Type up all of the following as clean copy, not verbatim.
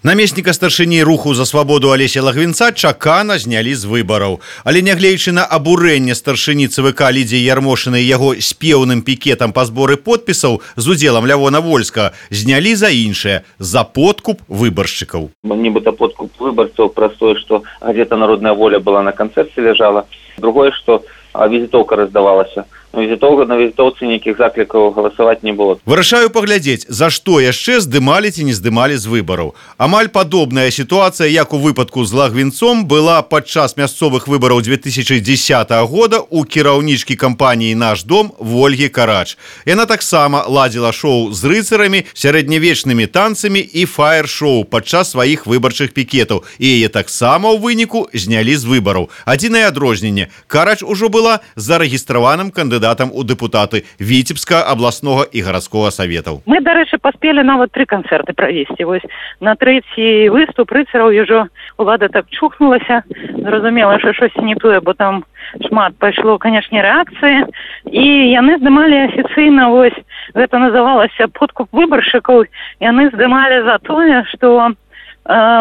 Намесніка старшыні руху за свабоду Алеся Лагвінца чакана знялі з выбараў. Але нягледзячы на абурэнне старшыні ЦВК Лідзіі Ярмошынай яго спеўным пікетам па зборы подпісаў з удзелам Лявона Вольскага знялі за іншае – за подкуп выбаршчыкаў. Нібыта подкуп выбарцаў праз тое, што газета «Народная воля» была на канцэрце ляжала. Другое, што візітоўка раздавалася. На візітоўцы нейкіх заклікаў галасаваць не было. Вырашаю паглядзець, за што яшчэ здымалі ці не здымалі з выбараў. Амаль падобная сітуацыя, як у выпадку з Лагвінцом, была падчас мясцовых выбараў 2010 года у кіраўнічкі кампаніі «Наш дом» Вольгі Карач. Яна таксама ладзіла шоу з рыцарамі, сярэднявечнымі танцамі і фаер-шоу падчас сваіх выбарчых пікетаў. І яе таксама ў выніку знялі з выбараў. Адзінае адрозненне – Карач ужо была зарэгістраваным кандыдатам у депутаты Віцебскага абласнога і гарадскога саветаў. Мы, дарэчы, паспелі нават 3 канцэрты правесці. Вось на трэці выступ рыцараў ўжо улада так чухнулася, зразумела, што штосьці не тое, бо там шмат пайшло, канешне, рэакцыі, і яны здымалі афіцыйна, вось гэта называлася подкуп выбаршчыкаў, яны здымалі за тое, што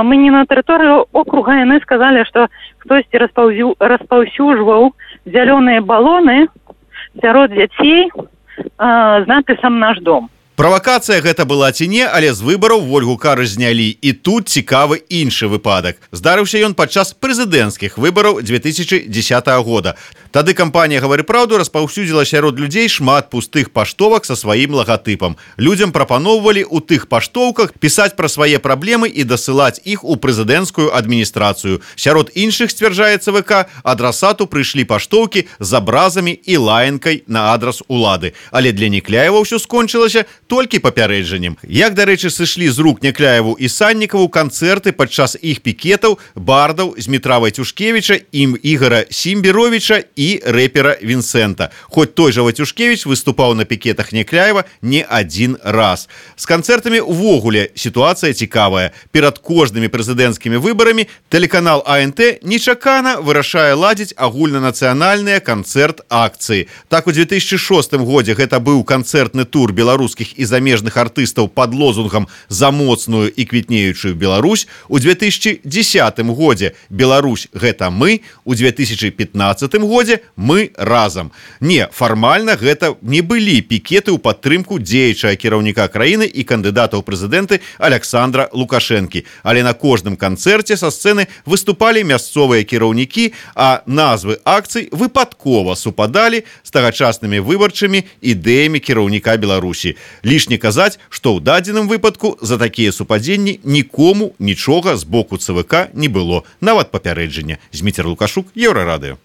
мы не на тэрыторыю округа, яны сказалі, што хтосьці распаўсюджваў зялёныя балоны сярод дзяцей з надпісам «Наш дом». Правакацыя гэта была ці не, але з выбараў Вольгу Карач знялі. І тут цікавы іншы выпадак. Здарыўся ён падчас прэзідэнцкіх выбараў 2010 года. Тады кампанія «Гавары праўду» распаўсюдзіла сярод людзей шмат пустых паштовак са сваім лагатыпам. Людзям прапаноўвалі ў тых паштоўках пісаць пра свае праблемы і дасылаць іх у прэзідэнцкую адміністрацыю. Сярод іншых, сцвярджае ЦВК, адрасату прыйшлі паштоўкі з абразамі і лаянкай на адрас улады. Але для Некляева ўсё скончылася толькі папярэджаннем. Як, дарэчы, сышлі з рук Некляеву і Саннікаву канцэрты падчас іх пікетаў бардаў Змітра Вайцюшкевіча, Ігора Сімбіровіча і рэпера Вінсента. Хоць той жа Вайцюшкевіч выступаў на пікетах Некляева не адзін раз. З канцэртамі ўвогуле сітуацыя цікавая. Перад кожнымі прэзідэнцкімі выбарамі тэлеканал АНТ нечакана вырашае ладзіць агульнанацыянальныя канцэрт-акцыі. Так, у 2006 годзе гэта быў канцэртны тур беларускіх і замежных артыстаў пад лозунгам «За моцную і квітнеючую Беларусь». У 2010 годзе «Беларусь – гэта мы», у 2015 годзе «Мы разам». Не, фармальна гэта не былі пікеты ў падтрымку дзеячага кіраўніка краіны і кандыдата ў прэзідэнты Аляксандра Лукашэнкі. Але на кожным канцэрце са сцэны выступалі мясцовыя кіраўнікі, а назвы акцый выпадкова супадалі з тагачаснымі выбарчымі ідэямі кіраўніка Беларусі. Лішне казаць, што ў дадзеным выпадку за такія супадзенні нікому нічога з боку ЦВК не было, нават папярэджання. Зміцер Лукашук, Еўрарадыё.